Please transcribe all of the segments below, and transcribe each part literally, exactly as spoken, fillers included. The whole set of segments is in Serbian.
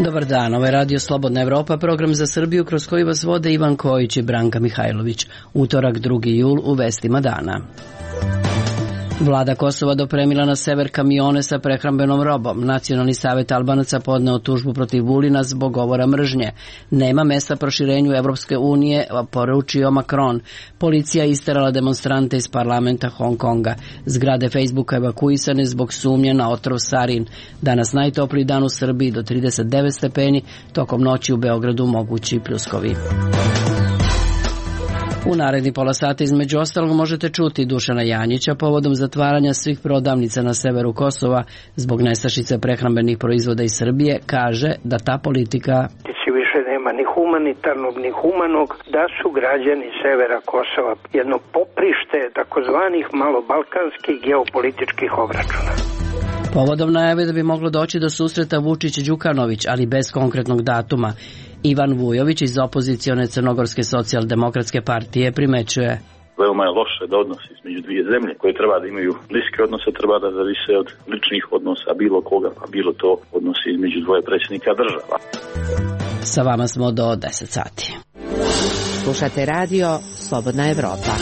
Dobar dan, ovo je Radio Slobodna Evropa, program za Srbiju kroz koji vas vode Ivan Kojić i Branka Mihajlović. Utorak drugi jul u vestima dana. Vlada Kosova dopremila na sever kamione sa prehrambenom robom. Nacionalni savet Albanaca podneo tužbu protiv Vulina zbog govora mržnje. Nema mesta proširenju Evropske unije, poručio Macron. Policija isterala demonstrante iz parlamenta Hong Konga. Zgrade Facebooka evakuisane zbog sumnje na otrov sarin. Danas najtopliji dan u Srbiji do trideset devet stepeni, tokom noći u Beogradu mogući pljuskovi. U naredni pola sata između ostalog možete čuti Dušana Janjića povodom zatvaranja svih prodavnica na severu Kosova zbog nestašice prehrambenih proizvoda iz Srbije. Kaže da ta politika više nema ni humanitarnog ni humanog, da su građani severa Kosova jedno poprište takozvanih malobalkanskih geopolitičkih obračuna. Povodom najave da bi moglo doći do susreta Vučić-Đukanović, ali bez konkretnog datuma, Ivan Vujović iz opozicione Crnogorske socijaldemokratske partije primećuje: veoma je loše da odnosi između dvije zemlje koje treba da imaju bliske odnose, treba da zavise od ličnih odnosa bilo koga, pa bilo to odnosi između dvoje predsjednika država. Sa vama smo do deset sati. Slušate radio Slobodna Evropa.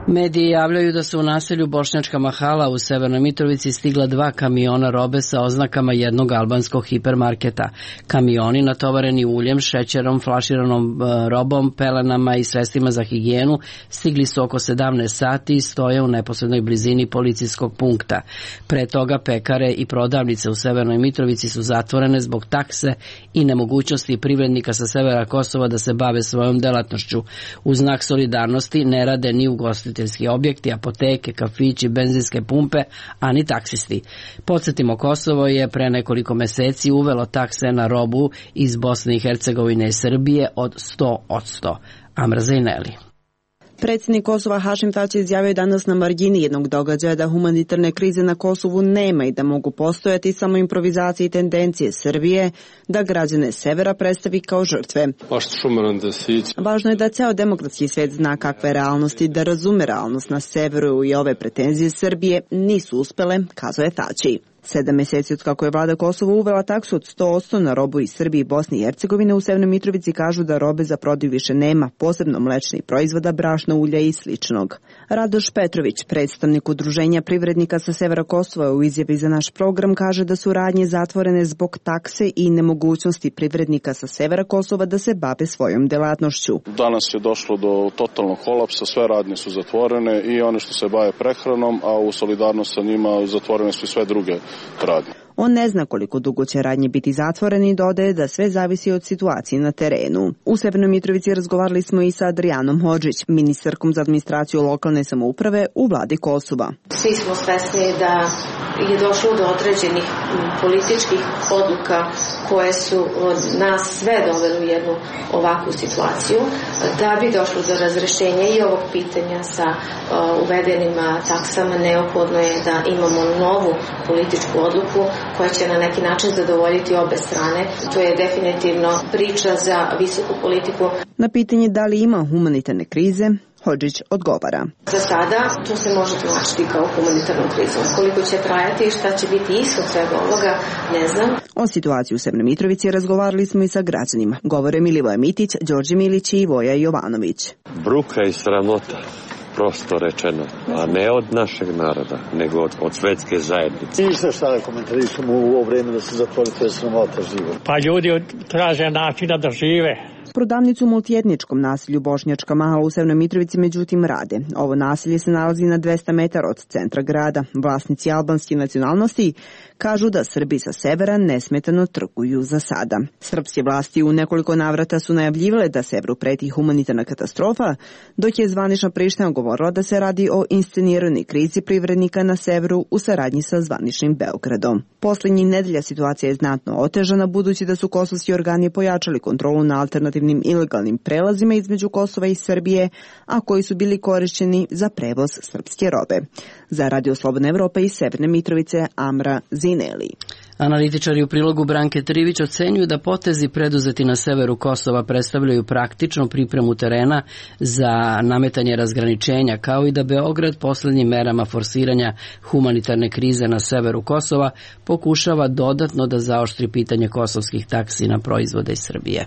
Mediji javljaju da su u naselju Bošnjačka Mahala u Severnoj Mitrovici stigla dva kamiona robe sa oznakama jednog albanskog hipermarketa. Kamioni natovareni uljem, šećerom, flaširanom robom, pelenama i sredstvima za higijenu stigli su oko sedamnaest sati i stoje u neposrednoj blizini policijskog punkta. Pre toga pekare i prodavnice u Severnoj Mitrovici su zatvorene zbog takse i nemogućnosti privrednika sa severa Kosova da se bave svojom delatnošću. U znak solidarnosti ne rade ni ugostitelji objekti, apoteke, kafići, benzinske pumpe, a ni taksisti. Podsjetimo, Kosovo je pre nekoliko meseci uvelo takse na robu iz Bosne i Hercegovine i Srbije od sto posto. Amra Zajneli. Predsjednik Kosova Hašim Tači izjavio danas na margini jednog događaja da humanitarne krize na Kosovu nema i da mogu postojati samo improvizacije i tendencije Srbije da građane severa predstavi kao žrtve. Važno je da ceo demokratski svijet zna kakve realnosti, da razume realnost na severu i ove pretenzije Srbije nisu uspele, kazao je Tači. Sedam meseci od kako je vlada Kosova uvela taksu od sto posto na robu iz Srbije i Bosne i Hercegovine, u Severnoj Mitrovici kažu da robe za prodaju više nema, posebno mlečnih proizvoda, brašna, ulja i sličnog. Radoš Petrović, predstavnik udruženja privrednika sa severa Kosova, u izjavi za naš program kaže da su radnje zatvorene zbog takse i nemogućnosti privrednika sa severa Kosova da se bave svojom delatnošću. Danas je došlo do totalnog kolapsa, sve radnje su zatvorene i one što se bave prehranom, a u solidarnost sa njima zatvorene su i sve druge radnje. On ne zna koliko dugo će radnje biti zatvoreni i dodaje da sve zavisi od situacije na terenu. U Severnoj Mitrovici razgovarali smo i sa Adrijanom Hodžić, ministarkom za administraciju lokalne samouprave u vladi Kosova. Svi smo svesni da je došlo do određenih političkih odluka koje su nas sve doveli u jednu ovakvu situaciju. Da bi došlo do razrešenja i ovog pitanja sa uvedenim taksama, neophodno je da imamo novu političku odluku koja će na neki način zadovoljiti obe strane. To je definitivno priča za visoku politiku. Na pitanje da li ima humanitarne krize, Hodžić odgovara: za sada to se može tumačiti kao humanitarnu krizu. Koliko će trajati i šta će biti ishod svega ovoga, ne znam. O situaciji u Severnoj Mitrovici razgovarali smo i sa građanima. Govore Milivoje Mitić, Đorđe Milić i Voja Jovanović. Bruka i sramota, prosto rečeno, a ne od našeg naroda, nego od, od svetske zajednice. Ništa šta da komentarišemo u ovo vreme da se zatvori, to je sramota živo. Pa ljudi traže načina da žive. Prodavnicu u multietničkom naselju Bošnjačka Mahala u Severnoj Mitrovici međutim rade. Ovo naselje se nalazi na dvesta metara od centra grada. Vlasnici albanske nacionalnosti kažu da Srbi sa severa nesmetano trguju za sada. Srpske vlasti u nekoliko navrata su najavljivale da severu preti humanitarna katastrofa, dok je zvanična Priština govorila da se radi o insceniranoj krizi privrednika na severu u saradnji sa zvaničnim Beogradom. Poslednjih nedelja situacija je znatno otežana budući da su kosovski organi pojačali kontrolu na alternativnim masivnim ilegalnim prelazima između Kosova i Srbije, a koji su bili korišćeni za prevoz srpske robe. Za Radio Slobodna Evropa iz Severne Mitrovice, Amra Zineli. Analitičari u prilogu Branke Trivić ocenjuju da potezi preduzeti na severu Kosova predstavljaju praktičnu pripremu terena za nametanje razgraničenja, kao i da Beograd poslednjim merama forsiranja humanitarne krize na severu Kosova pokušava dodatno da zaoštri pitanje kosovskih taksi na proizvode iz Srbije.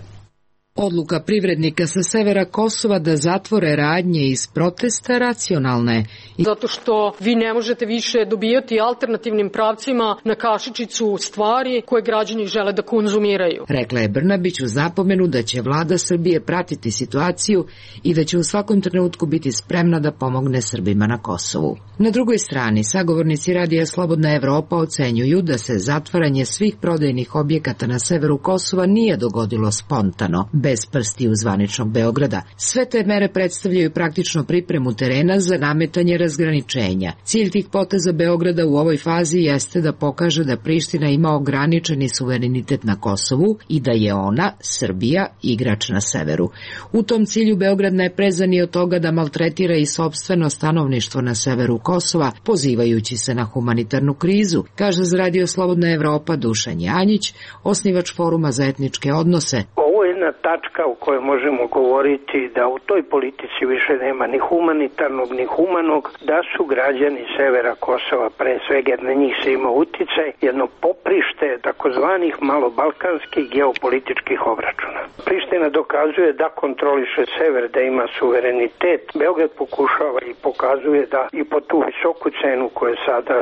Odluka privrednika sa severa Kosova da zatvore radnje iz protesta racionalna je. Zato što vi ne možete više dobijati alternativnim pravcima na kašičicu stvari koje građani žele da konzumiraju. Rekla je Brnabić uz napomenu da će vlada Srbije pratiti situaciju i da će u svakom trenutku biti spremna da pomogne Srbima na Kosovu. Na drugoj strani, sagovornici Radija Slobodna Evropa ocenjuju da se zatvaranje svih prodajnih objekata na severu Kosova nije dogodilo spontano, bez prstiju zvaničnog Beograda. Sve te mere predstavljaju praktično pripremu terena za nametanje razgraničenja. Cilj tih poteza Beograda u ovoj fazi jeste da pokaže da Priština ima ograničeni suverenitet na Kosovu i da je ona, Srbija, igrač na severu. U tom cilju Beograd ne preza ni od toga da maltretira i sopstveno stanovništvo na severu Kosova, pozivajući se na humanitarnu krizu, kaže za Radio Slobodna Evropa Dušan Janjić, osnivač Foruma za etničke odnose. Ovo je jedna tačka u kojoj možemo govoriti da u toj politici više nema ni humanitarnog ni humanog, da su građani severa Kosova, pre svega jer na njih se ima uticaj, jedno poprište takozvanih malobalkanskih geopolitičkih obračuna. Priština dokazuje da kontroliše sever, da ima suverenitet. Beograd pokušava i pokazuje da i po tu visoku cenu koju je sada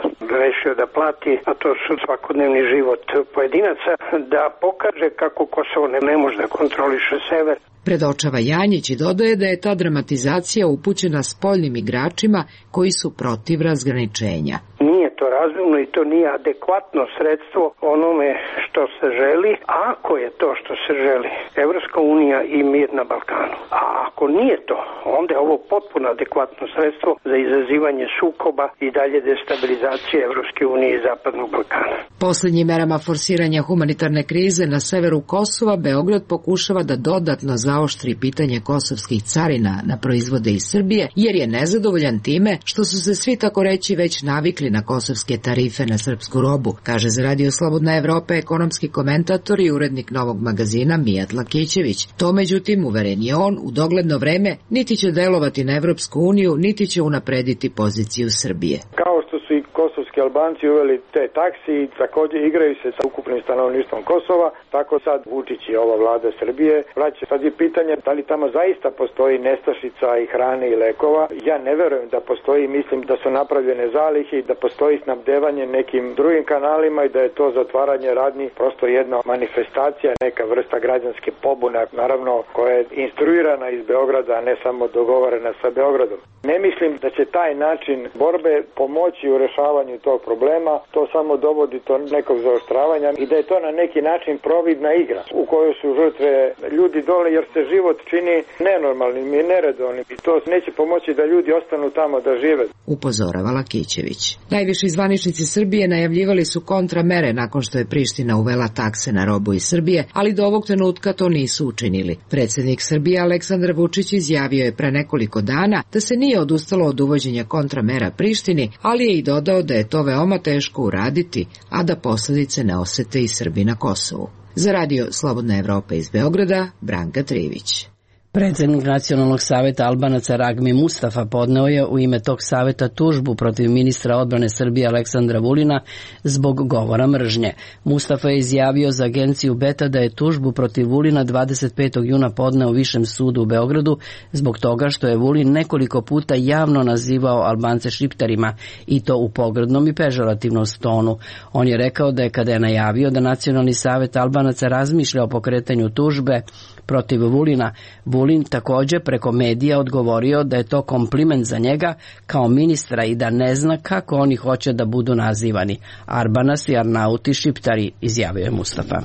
rešio da plati, a to su svakodnevni život pojedinaca, da pokaže kako Kosovo ne, ne može da kontroliše sever. Predočava Janjić i dodaje da je ta dramatizacija upućena spoljnim igračima koji su protiv razgraničenja. Nije to razumno i to nije adekvatno sredstvo onome što se želi, a ako je to što se želi, Evropska unija i mir na Balkanu. A ako nije to, onda je ovo potpuno adekvatno sredstvo za izazivanje sukoba i dalje destabilizacije Evropske unije i Zapadnog Balkana. Poslednjim merama forsiranja humanitarne krize na severu Kosova, Beograd pokušava da dodatno zaoštri pitanje kosovskih carina na proizvode iz Srbije, jer je nezadovoljan time što su se svi tako reći već navikli na kosovske tarife na srpsku robu, kaže za Radio Slobodna Evropa ekonomski komentator i urednik Novog magazina Mijat Lakićević. To međutim, uveren je on, u dogledno vreme niti će delovati na Evropsku uniju, niti će unaprediti poziciju Srbije. Kao što su i kosovski Albanci uveli te taksi i također igraju se sa ukupnim stanovništvom Kosova, tako sad Vučić i ova vlada Srbije vraća. Sad je pitanje da li tamo zaista postoji nestašica i hrane i lekova. Ja ne verujem da postoji, mislim da su napravljene zalihi, da postoji snabdevanje nekim drugim kanalima i da je to zatvaranje radnji prosto jedna manifestacija, neka vrsta građanske pobune, naravno koja je instruirana iz Beograda, a ne samo dogovorena sa Beogradom. Ne mislim da će taj način borbe pomoći u rešavanju tog problema, to samo dovodi do nekog zaoštravanja i da je to na neki način providna igra u kojoj su žrtve ljudi dole jer se život čini nenormalnim i neredovnim i to neće pomoći da ljudi ostanu tamo da žive. Upozorava Lakićević. Najviši zvaničnici Srbije najavljivali su kontramere nakon što je Priština uvela takse na robu iz Srbije, ali do ovog trenutka to nisu učinili. Predsjednik Srbije Aleksandar Vučić izjavio je pre nekoliko dana da se nije odustalo od uvođenja kontramera Prištini, ali je i dodao da je to veoma teško uraditi, a da posledice ne osete i Srbi na Kosovu. Za Radio Slobodna Evropa iz Beograda, Branka Trivić. Predsednik Nacionalnog saveta Albanaca Ragmi Mustafa podneo je u ime tog saveta tužbu protiv ministra odbrane Srbije Aleksandra Vulina zbog govora mržnje. Mustafa je izjavio za agenciju Beta da je tužbu protiv Vulina dvadeset petog juna podneo Višem sudu u Beogradu zbog toga što je Vulin nekoliko puta javno nazivao Albance šiptarima i to u pogrdnom i pežorativnom tonu. On je rekao da je kada je najavio da Nacionalni savet Albanaca razmišlja o pokretanju tužbe protiv Vulina, Vulin takođe preko medija odgovorio da je to kompliment za njega kao ministra i da ne zna kako oni hoće da budu nazivani. Arbanas i Arnauti Šiptari, izjavio je Mustafa.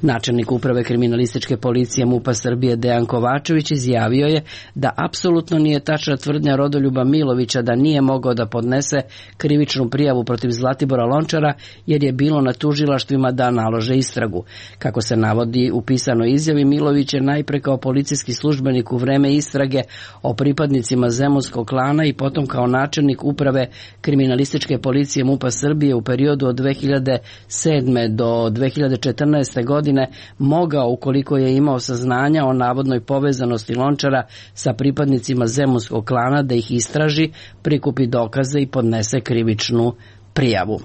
Načelnik uprave kriminalističke policije MUP-a Srbije Dejan Kovačević izjavio je da apsolutno nije tačna tvrdnja Rodoljuba Milovića da nije mogao da podnese krivičnu prijavu protiv Zlatibora Lončara jer je bilo na tužilaštvima da nalože istragu. Kako se navodi u pisanoj izjavi, Milović je najpre kao policijski službenik u vreme istrage o pripadnicima zemunskog klana i potom kao načelnik uprave kriminalističke policije MUP-a Srbije u periodu od dve hiljade sedme do dve hiljade četrnaeste. godine mogao, ukoliko je imao saznanja o navodnoj povezanosti Lončara sa pripadnicima zemunskog klana, da ih istraži, prikupi dokaze i podnese krivičnu prijavu.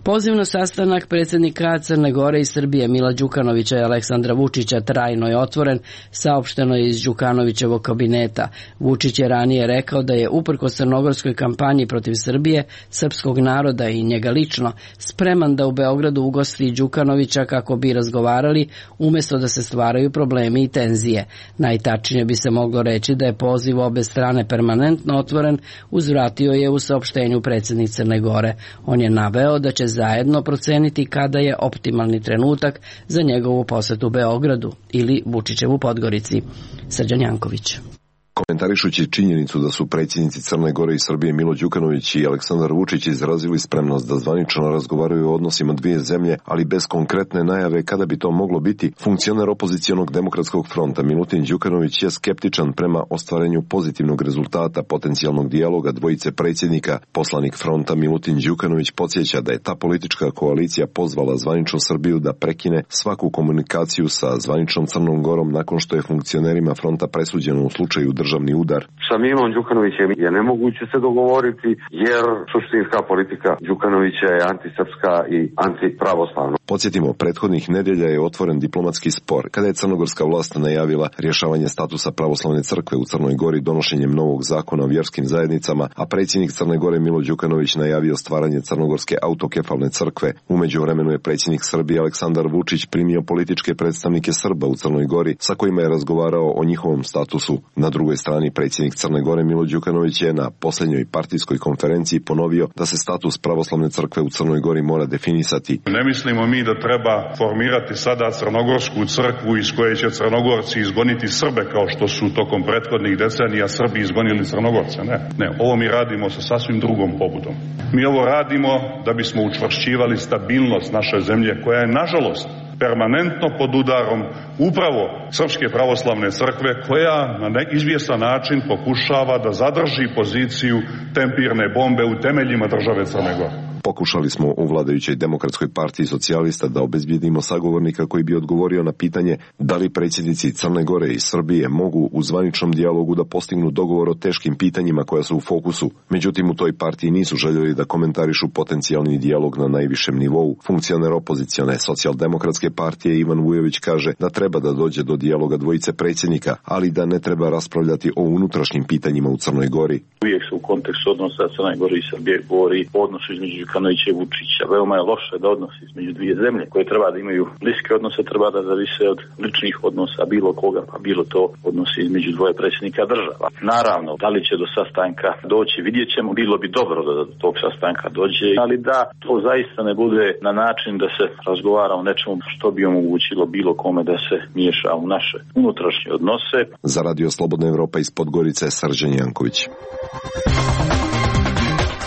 Poziv na sastanak predsjednika Crne Gore i Srbije Mila Đukanovića i Aleksandra Vučića trajno je otvoren, saopšteno je iz Đukanovićevog kabineta. Vučić je ranije rekao da je uprkos crnogorskoj kampanji protiv Srbije, srpskog naroda i njega lično spreman da u Beogradu ugosti Đukanovića kako bi razgovarali umjesto da se stvaraju problemi i tenzije. Najtačnije bi se moglo reći da je poziv obe strane permanentno otvoren, uzvratio je u saopštenju predsjednik Crne Gore. On je naveo da će zajedno proceniti kada je optimalni trenutak za njegovu posetu Beogradu ili Vučićevu Podgorici. Srđan Janković. Komentarišući činjenicu da su predsjednici Crne Gore i Srbije Milo Đukanović i Aleksandar Vučić izrazili spremnost da zvanično razgovaraju o odnosima dvije zemlje, ali bez konkretne najave kada bi to moglo biti, funkcioner opozicionog demokratskog fronta Milutin Đukanović je skeptičan prema ostvarenju pozitivnog rezultata potencijalnog dijaloga dvojice predsjednika. Poslanik fronta Milutin Đukanović podsjeća da je ta politička koalicija pozvala zvaničnu Srbiju da prekine svaku komunikaciju sa zvaničnom Crnom Gorom nakon što je funkcionerima fronta presuđeno u slučaju državni udar. Sa Milom Đukanovićem je nemoguće se dogovoriti jer suštinska politika Đukanovića je antisrpska i antipravoslavna. Podsjetimo, prethodnih nedelja je otvoren diplomatski spor kada je crnogorska vlast najavila rješavanje statusa pravoslavne crkve u Crnoj Gori donošenjem novog zakona o vjerskim zajednicama, a predsjednik Crne Gore Milo Đukanović najavio stvaranje crnogorske autokefalne crkve. U međuvremenu je predsjednik Srbije Aleksandar Vučić primio političke predstavnike Srba u Crnoj Gori sa kojima je razgovarao o njihovom statusu. Na drugoj strani predsjednik Crne Gore Milo Đukanović je na posljednjoj partijskoj konferenciji ponovio da se status pravoslavne crkve u Crnoj Gori mora definisati. Ne mislimo mi da treba formirati sada crnogorsku crkvu iz koje će Crnogorci izgoniti Srbe kao što su tokom prethodnih decenija Srbi izgonili Crnogorce. Ne, ne, ovo mi radimo sa sasvim drugom pobudom. Mi ovo radimo da bismo učvršćivali stabilnost naše zemlje koja je nažalost permanentno pod udarom upravo Srpske pravoslavne crkve koja na izvjestan način pokušava da zadrži poziciju tempirne bombe u temeljima države Crne Gore. Pokušali smo u vladajućoj Demokratskoj partiji socijalista da obezbijedimo sagovornika koji bi odgovorio na pitanje da li predsjednici Crne Gore i Srbije mogu u zvaničnom dijalogu da postignu dogovor o teškim pitanjima koja su u fokusu. Međutim, u toj partiji nisu željeli da komentarišu potencijalni dijalog na najvišem nivou. Funkcioner opozicione socijaldemokratske partije Ivan Vujović kaže da treba da dođe do dijaloga dvojice predsjednika, ali da ne treba raspravljati o unutrašnjim pitanjima u Crnoj Gori. Uvijek se u kontekstu odnosa Crne Gore i Srbije govori o odnosu između Đukanovića i Vučića. Veoma je loše da odnosi između dvije zemlje koje treba da imaju bliske odnose, treba da zavise od ličnih odnosa bilo koga, pa bilo to odnosi između dvoje predsjednika država. Naravno, da li će do sastanka doći, vidjet ćemo, bilo bi dobro da do tog sastanka dođe, ali da to zaista ne bude na način da se razgovara o nečemu što bi omogućilo bilo kome da se miješa u naše unutrašnje odnose. Za Radio Slobodna Evropa iz Podgorice, Srđan Janković.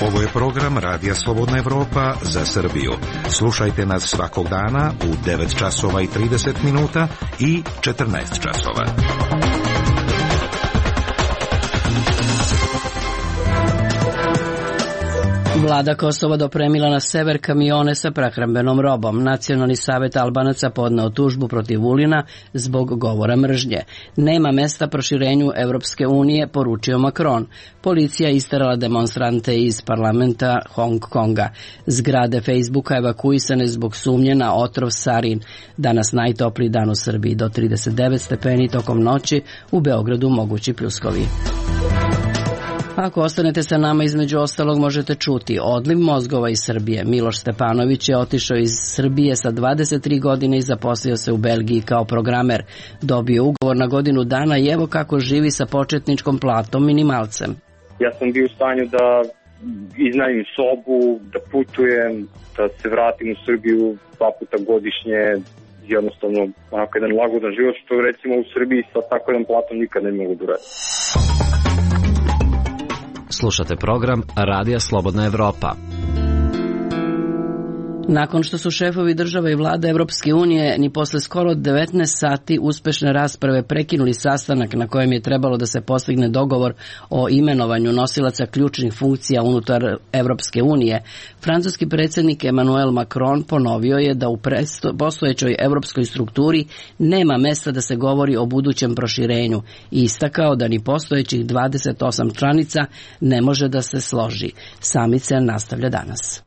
Ovo je program Radija Slobodna Evropa za Srbiju. Slušajte nas svakog dana u devet časova i trideset minuta i četrnaest časova. Vlada Kosova dopremila na sever kamione sa prehrambenom robom. Nacionalni savet Albanaca podneo tužbu protiv Vulina zbog govora mržnje. Nema mesta proširenju Evropske unije, poručio Macron. Policija isterala demonstrante iz parlamenta Hong Konga. Zgrade Facebooka evakuisane zbog sumnje na otrov sarin. Danas najtopliji dan u Srbiji do trideset devet stepeni, tokom noći u Beogradu mogući pljuskovi. Ako ostanete sa nama, između ostalog možete čuti odliv mozgova iz Srbije. Miloš Stepanović je otišao iz Srbije sa dvadeset tri godine i zaposlio se u Belgiji kao programer. Dobio ugovor na godinu dana i evo kako živi sa početničkom platom minimalcem. Ja sam bio u stanju da iznajmim sobu, da putujem, da se vratim u Srbiju dva puta godišnje, jednostavno onako jedan lagodan život, što recimo u Srbiji sa tako jedan platom nikad ne mogu da uradim. Slušate program Radija Slobodna Evropa. Nakon što su šefovi država i vlada Evropske unije ni posle skoro devetnaest sati uspešne rasprave prekinuli sastanak na kojem je trebalo da se postigne dogovor o imenovanju nosilaca ključnih funkcija unutar Evropske unije, francuski predsjednik Emmanuel Macron ponovio je da u postojećoj evropskoj strukturi nema mesta da se govori o budućem proširenju i istakao da ni postojećih dvadeset osam članica ne može da se složi. Summit se nastavlja danas.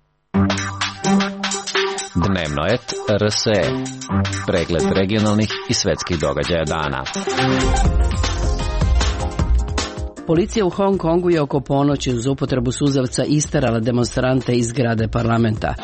Dnevno et R S E. Pregled regionalnih i svetskih događaja dana. Policija u Hong Kongu je oko ponoći uz upotrebu suzavca isterala demonstrante iz zgrade parlamenta.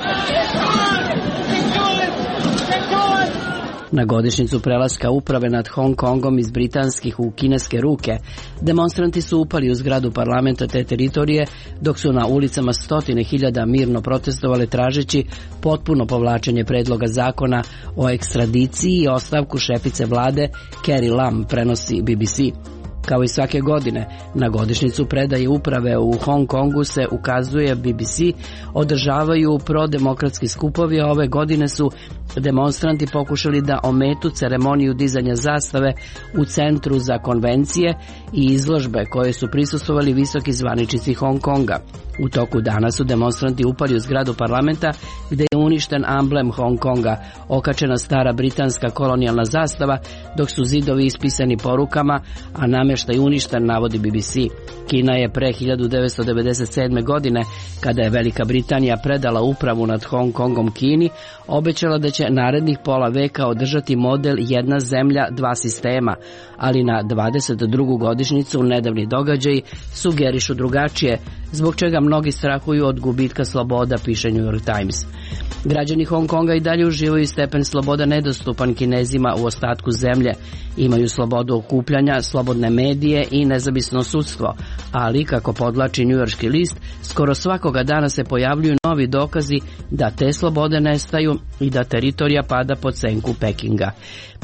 Na godišnjicu prelaska uprave nad Hong Kongom iz britanskih u kineske ruke, demonstranti su upali u zgradu parlamenta te teritorije, dok su na ulicama stotine hiljada mirno protestovali tražeći potpuno povlačenje predloga zakona o ekstradiciji i ostavku šefice vlade Carrie Lam, prenosi B B C. Kao i svake godine, na godišnjicu predaje uprave u Hong Kongu se ukazuje B B C, održavaju prodemokratski skupovi, a ove godine su demonstranti pokušali da ometu ceremoniju dizanja zastave u centru za konvencije i izložbe koje su prisustvovali visoki zvaničnici Hong Konga. U toku dana su demonstranti upali u zgradu parlamenta gde je uništen amblem Hong Konga, okačena stara britanska kolonijalna zastava, dok su zidovi ispisani porukama, a namještaj uništen, navodi B B C. Kina je pre hiljadu devetsto devedeset sedme. godine, kada je Velika Britanija predala upravu nad Hong Kongom Kini, obećala da će narednih pola veka održati model jedna zemlja, dva sistema, ali na dvadeset drugu godišnjicu nedavni događaji sugerišu drugačije, zbog čega mnogi strahuju od gubitka sloboda, piše New York Times. Građani Hong Konga i dalje uživaju stepen sloboda nedostupan Kinezima u ostatku zemlje. Imaju slobodu okupljanja, slobodne medije i nezavisno sudstvo, ali, kako podlači njujorški list, skoro svakoga dana se pojavljuju novi dokazi da te slobode nestaju i da teritorija pada pod senku Pekinga.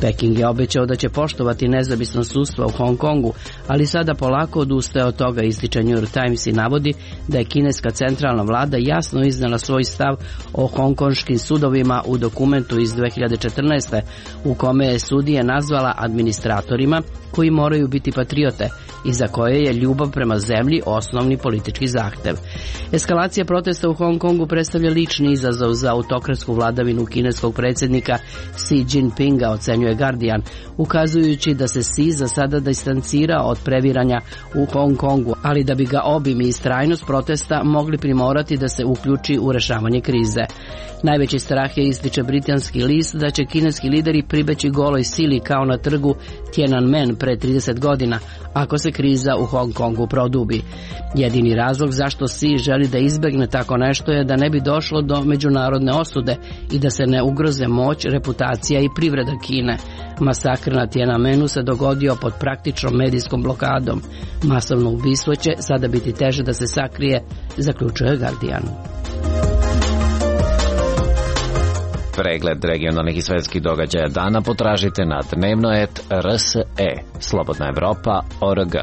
Peking je obećao da će poštovati nezavisno sudstvo u Hong Kongu, ali sada polako odustaje od toga, ističe New York Times i navodi da je kineska centralna vlada jasno iznala svoj stav o hongkonškim sudovima u dokumentu iz dve hiljade četrnaeste. u kome je sudije nazvala administratorima koji moraju biti patriote i za koje je ljubav prema zemlji osnovni politički zahtev. Eskalacija protesta u Hong Kongu predstavlja lični izazov za autokratsku vladavinu kineskog predsjednika Xi Jinpinga, ocenjuje Guardian, ukazujući da se Xi za sada distancira od previranja u Hong Kongu, ali da bi ga obim i istrajnost protesta mogli primorati da se uključi u rešavanje krize. Najveći strah je, ističe britanski list, da će kineski lideri pribeći goloj sili kao na trgu Tiananmen pre trideset godina, ako se kriza u Hong Kongu produbi. Jedini razlog zašto Xi želi da izbegne tako nešto je da ne bi došlo do međunarodne osude i da se ne ugroze moć, reputacija i privreda Kine. Masakr na Tiananmenu se dogodio pod praktičnom medijskom blokadom. Masovno ubistvo će sada biti teže da se sakrije, zaključuje Guardian. Pregled regionalnih i svetskih događaja dana potražite na dnevno et R S E, Slobodna Evropa, O R G.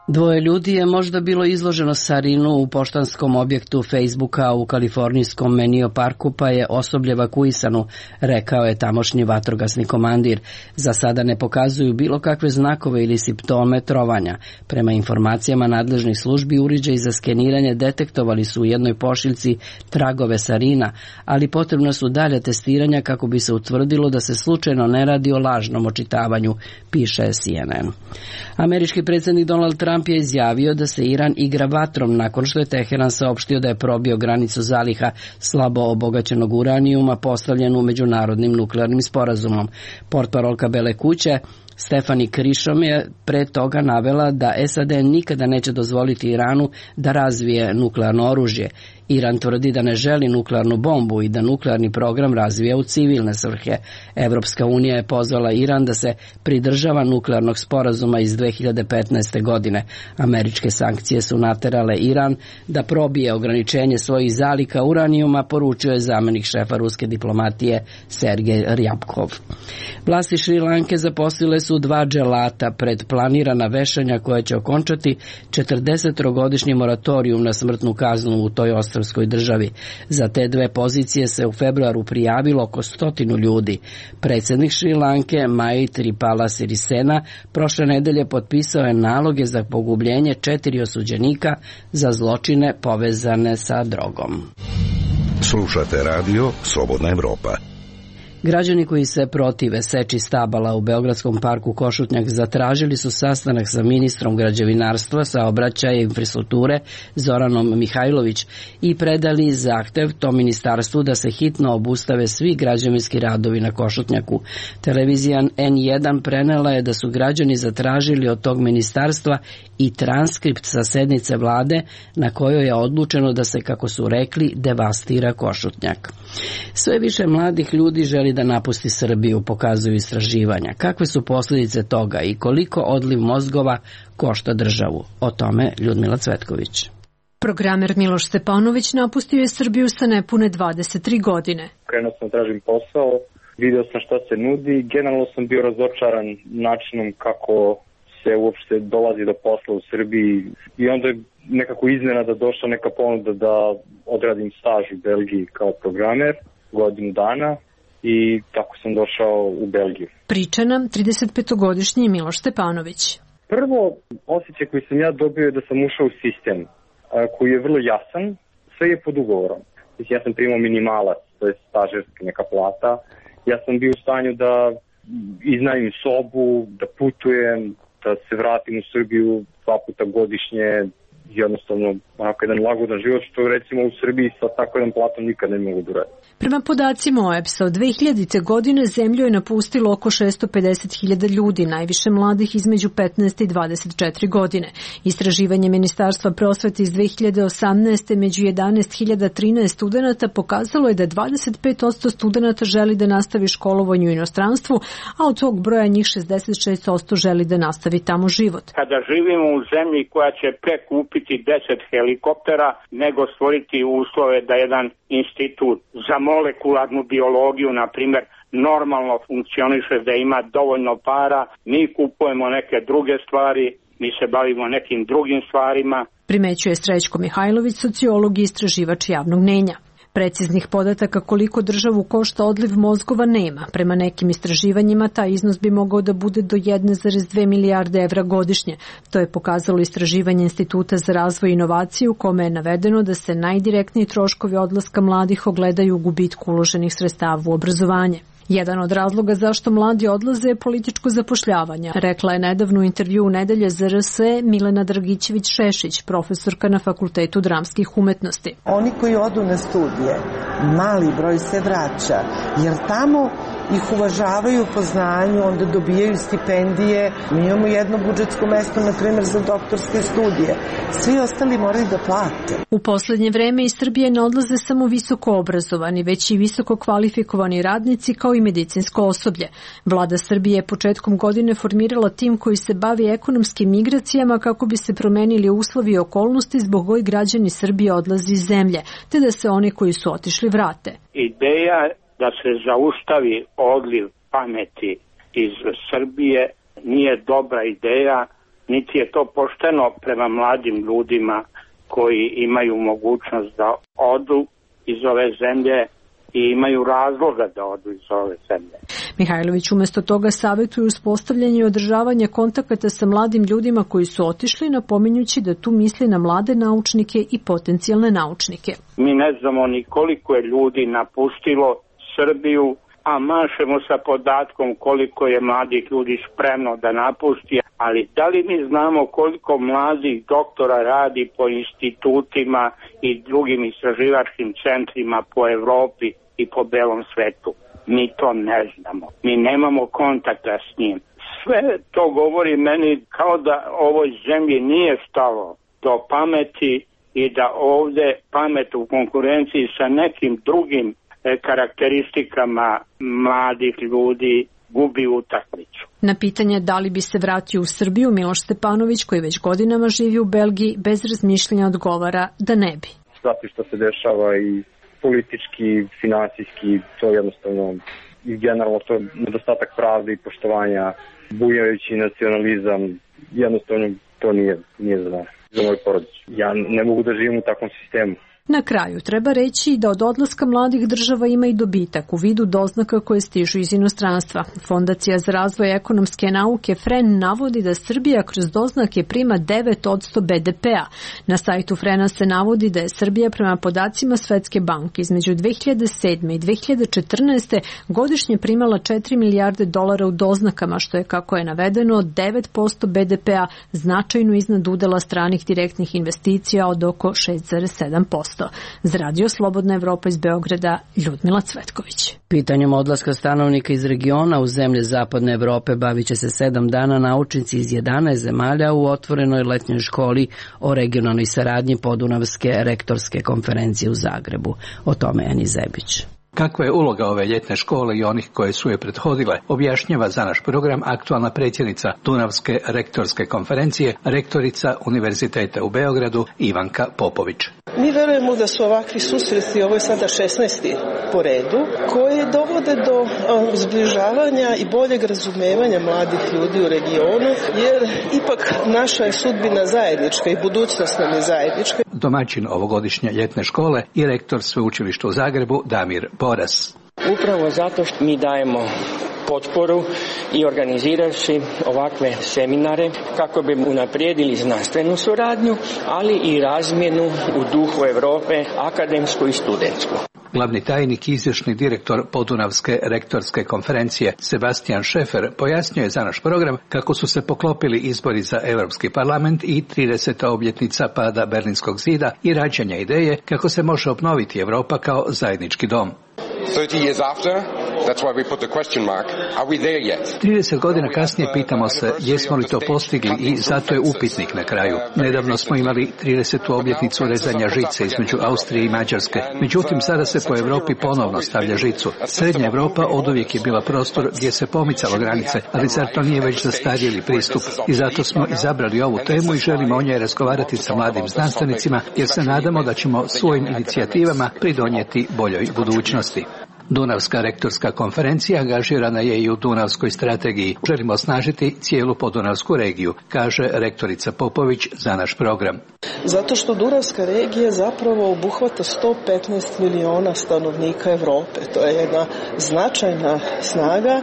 Dvoje ljudi je možda bilo izloženo sarinu u poštanskom objektu Facebooka u kalifornijskom Menio parku, pa je osoblje evakuisano, rekao je tamošnji vatrogasni komandir. Za sada ne pokazuju bilo kakve znakove ili simptome trovanja. Prema informacijama nadležnih službi, uređaji za skeniranje detektovali su u jednoj pošiljci tragove sarina, ali potrebno su dalje testiranja kako bi se utvrdilo da se slučajno ne radi o lažnom očitavanju, piše C N N. Američki predsjednik Donald Trump je izjavio da se Iran igra vatrom nakon što je Teheran saopštio da je probio granicu zaliha slabo obogaćenog uranijuma postavljenu međunarodnim nuklearnim sporazumom. Portparolka Bele kuće Stefani Krišom je pre toga navela da S A D nikada neće dozvoliti Iranu da razvije nuklearno oružje. Iran tvrdi da ne želi nuklearnu bombu i da nuklearni program razvija u civilne svrhe. Evropska unija je pozvala Iran da se pridržava nuklearnog sporazuma iz dve hiljade petnaeste. godine. Američke sankcije su naterale Iran da probije ograničenje svojih zaliha uranijuma, poručio je zamenik šefa ruske diplomatije Sergej Ryabkov. Vlasti Šri Lanke zaposlile su dva dželata pred planirana vešanja koja će okončati četrdesetogodišnji moratorijum na smrtnu kaznu u toj ostrvskoj državi. Za te dve pozicije se u februaru prijavilo oko stotinu ljudi. Predsjednik Šri Lanke Maithripala Sirisena prošle nedelje potpisao je naloge za pogubljenje četiri osuđenika za zločine povezane sa drogom. Slušate radio Slobodna Evropa. Građani koji se protive seči stabala u Beogradskom parku Košutnjak zatražili su sastanak sa ministrom građevinarstva, saobraćaja i infrastrukture Zoranom Mihajlović i predali zahtev tom ministarstvu da se hitno obustave svi građevinski radovi na Košutnjaku. Televizija N jedan prenela je da su građani zatražili od tog ministarstva i transkript sa sednice vlade na kojoj je odlučeno da se, kako su rekli, devastira Košutnjak. Sve više mladih ljudi želi da napusti Srbiju, pokazuju istraživanja. Kakve su posljedice toga i koliko odliv mozgova košta državu? O tome Ljudmila Cvetković. Programer Miloš Stepanović napustio je Srbiju sa nepune dvadeset tri godine. Krenuo sam tražim posao, video sam šta se nudi, generalno sam bio razočaran načinom kako se uopšte dolazi do posla u Srbiji i onda je nekako iznenada došla neka ponuda da odradim staž u Belgiji kao programer godinu dana. I tako sam došao u Belgiju. Priča nam tridesetpetogodišnji Miloš Stepanović. Prvo, osjećaj koji sam ja dobio je da sam ušao u sistem koji je vrlo jasan, sve je pod ugovorom. Ja sam primao minimalac, to je stažerska neka plata. Ja sam bio u stanju da iznajmim sobu, da putujem, da se vratim u Srbiju dva puta godišnje, jednostavno onako jedan lagodan život, što recimo u Srbiji sa tako jedan platom nikad ne mogu da radim. Prema podacima O E B S-a, od dve hiljadite. godine zemlju je napustilo oko šesto pedeset hiljada ljudi, najviše mladih između petnaest i dvadeset četiri godine. Istraživanje Ministarstva prosvete iz dve hiljade osamnaeste. među jedanaest hiljada trinaest studenata pokazalo je da dvadeset pet posto studenata želi da nastavi školovanje u inostranstvu, a od tog broja njih šezdeset šest posto želi da nastavi tamo život. Kada živimo u zemlji koja će prekupiti deset helikoptera, nego stvoriti uslove da jedan institut za molekularnu biologiju, na primjer, normalno funkcioniše, da ima dovoljno para, mi kupujemo neke druge stvari, mi se bavimo nekim drugim stvarima. Primećuje Srećko Mihajlović, sociolog i istraživač javnog mnjenja. Preciznih podataka koliko državu košta odliv mozgova nema. Prema nekim istraživanjima taj iznos bi mogao da bude do jedne zarez dve milijarde evra godišnje. To je pokazalo istraživanje Instituta za razvoj i inovaciju u kome je navedeno da se najdirektniji troškovi odlaska mladih ogledaju u gubitku uloženih sredstava u obrazovanje. Jedan od razloga zašto mladi odlaze je političko zapošljavanje, rekla je nedavno u intervju u Nedelje za R S E Milena Dragićević-Šešić, profesorka na Fakultetu dramskih umetnosti. Oni koji odu na studije, mali broj se vraća, jer tamo ih uvažavaju po znanju, onda dobijaju stipendije. Mi imamo jedno budžetsko mesto, na primjer, za doktorske studije. Svi ostali moraju da plate. U poslednje vreme iz Srbije ne odlaze samo visoko obrazovani, već i visoko kvalifikovani radnici kao i medicinsko osoblje. Vlada Srbije je početkom godine formirala tim koji se bavi ekonomskim migracijama kako bi se promenili uslovi i okolnosti zbog kojih građani Srbije odlaze iz zemlje, te da se oni koji su otišli vrate. Ideja da se zaustavi odliv pameti iz Srbije nije dobra ideja, niti je to pošteno prema mladim ljudima koji imaju mogućnost da odu iz ove zemlje i imaju razloga da odu iz ove zemlje. Mihajlović umesto toga savjetuje uspostavljanje i održavanje kontakata sa mladim ljudima koji su otišli, napominjući da tu misli na mlade naučnike i potencijalne naučnike. Mi ne znamo ni koliko je ljudi napustilo Srbiju, a mašemo sa podatkom koliko je mladih ljudi spremno da napusti, ali da li mi znamo koliko mladih doktora radi po institutima i drugim istraživačkim centrima po Evropi i po belom svetu? Mi to ne znamo. Mi nemamo kontakta s njim. Sve to govori meni kao da ovoj zemlji nije stalo do pameti i da ovde pamet u konkurenciji sa nekim drugim e, karakteristikama mladih ljudi gubi utakmicu. Na pitanje da li bi se vratio u Srbiju, Miloš Stepanović, koji već godinama živi u Belgiji, bez razmišljanja odgovara da ne bi. Zato što se dešava i politički, finansijski, to jednostavno i generalno to nedostatak pravde i poštovanja, bujajući nacionalizam, jednostavno to nije, nije za nas, za moju porodicu. Ja ne mogu da živim u takvom sistemu. Na kraju treba reći da od odlaska mladih država ima i dobitak u vidu doznaka koje stižu iz inostranstva. Fondacija za razvoj ekonomske nauke F R E N navodi da Srbija kroz doznake prima devet posto B D P-a. Na sajtu F R E N-a se navodi da je Srbija prema podacima Svetske banke između dve hiljade sedme i dve hiljade četrnaeste. godišnje primala četiri milijarde dolara u doznakama, što je, kako je navedeno, devet posto B D P-a, značajno iznad udela stranih direktnih investicija od oko šest zarez sedam posto. Za Radio Slobodna Evropa iz Beograda, Ljudmila Cvetković. Pitanjem odlaska stanovnika iz regiona u zemlje Zapadne Evrope bavit će se sedam dana naučnici iz jedanaest zemalja u otvorenoj letnjoj školi o regionalnoj saradnji Podunavske rektorske konferencije u Zagrebu. O tome Eni Zebić. Kakva je uloga ove ljetne škole i onih koje su je prethodile, objašnjava za naš program aktualna predsjednica Dunavske rektorske konferencije, rektorica Univerziteta u Beogradu Ivanka Popović. Mi verujemo da su ovakvi susreti, ovo je sada šesnaesti po redu, koji dovode do zbližavanja i boljeg razumevanja mladih ljudi u regionu, jer ipak naša je sudbina zajednička i budućnost nam je zajednička. Domaćin ovogodišnje ljetne škole i rektor sveučilišta u Zagrebu Damir Boras. Upravo zato što mi dajemo potporu i organizirajući ovakve seminare kako bi unaprijedili znanstvenu suradnju, ali i razmjenu u duhu Europe, akademsku i studentsku. Glavni tajnik i izvršni direktor Podunavske rektorske konferencije Sebastian Šefer pojasnio je za naš program kako su se poklopili izbori za Europski parlament i trideseta obljetnica pada Berlinskog zida i rađanja ideje kako se može obnoviti Europa kao zajednički dom. trideset godina kasnije pitamo se jesmo li to postigli i zato je upitnik na kraju. Nedavno smo imali tridesetu obljetnicu rezanja žice između Austrije i Mađarske. Međutim, sada se po Europi ponovno stavlja žicu. Srednja Europa oduvijek je bila prostor gdje se pomicalo granice, ali zar to nije već zastarjeli pristup? I zato smo izabrali ovu temu i želimo o njoj razgovarati sa mladim znanstvenicima, jer se nadamo da ćemo svojim inicijativama pridonijeti boljoj budućnosti. Dunavska rektorska konferencija angažirana je i u Dunavskoj strategiji. Želimo osnažiti cijelu Podunavsku regiju, kaže rektorica Popović za naš program. Zato što Dunavska regija zapravo obuhvata sto petnaest miliona stanovnika Evrope. To je jedna značajna snaga,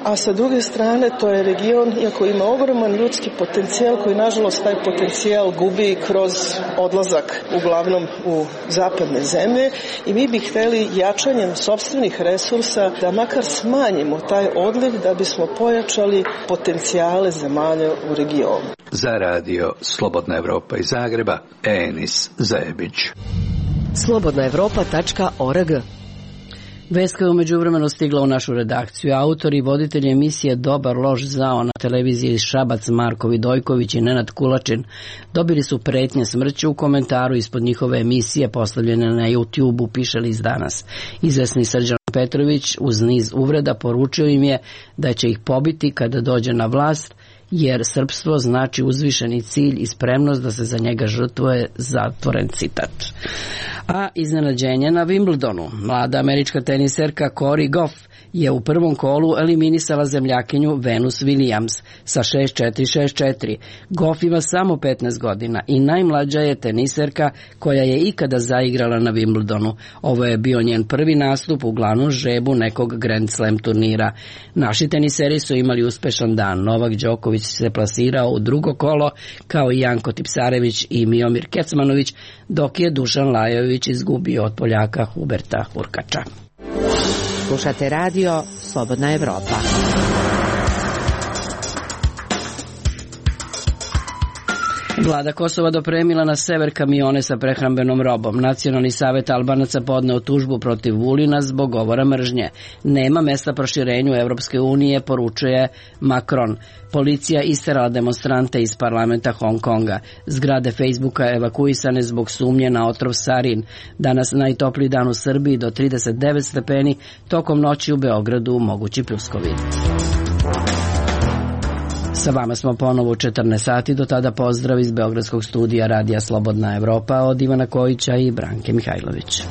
a sa druge strane to je region, iako ima ogroman ljudski potencijal, koji nažalost taj potencijal gubi kroz odlazak uglavnom u zapadne zemlje, i mi bi hteli jačanjem sopstvenih resursa da makar smanjimo taj odliv da bismo pojačali potencijale zemalja u regionu. Za Radio Slobodna Evropa iz Zagreba, Enis Zebić. slobodna evropa tačka org. Vest koja je umeđuvremeno stigla u našu redakciju. Autori i voditelji emisije Dobar loš zao na televiziji Šabac, Marko Vidojković i Nenad Kulačin dobili su pretnje smrću u komentaru ispod njihove emisije postavljene na YouTube-u, piše List danas. Izvesni Srđan Petrović uz niz uvreda poručio im je da će ih pobiti kada dođe na vlast, jer srpstvo znači uzvišeni cilj i spremnost da se za njega žrtvuje, zatvoren citat. A iznenađenje na Wimbledonu. Mlada američka teniserka Cory Goff je u prvom kolu eliminisala zemljakinju Venus Williams sa šest četiri šest četiri. Goff ima samo petnaest godina i najmlađa je teniserka koja je ikada zaigrala na Wimbledonu. Ovo je bio njen prvi nastup u glavnom žrebu nekog Grand Slam turnira. Naši teniseri su imali uspešan dan. Novak Đoković se plasirao u drugo kolo, kao i Janko Tipsarević i Miomir Kecmanović, dok je Dušan Lajović izgubio od Poljaka Huberta Hurkača. Slušate radio Slobodna Evropa. Vlada Kosova dopremila na sever kamione sa prehrambenom robom. Nacionalni savet Albanaca podneo tužbu protiv Vulina zbog govora mržnje. Nema mesta proširenju Evropske unije, poručuje Macron. Policija isterala demonstrante iz parlamenta Hong Konga. Zgrade Facebooka evakuisane zbog sumnje na otrov sarin. Danas najtopliji dan u Srbiji do trideset devet stepeni, tokom noći u Beogradu mogući pljuskovi. Sa vama smo ponovo u četrnaest sati, do tada pozdrav iz Beogradskog studija Radija Slobodna Evropa od Ivana Kojića i Branke Mihajlović.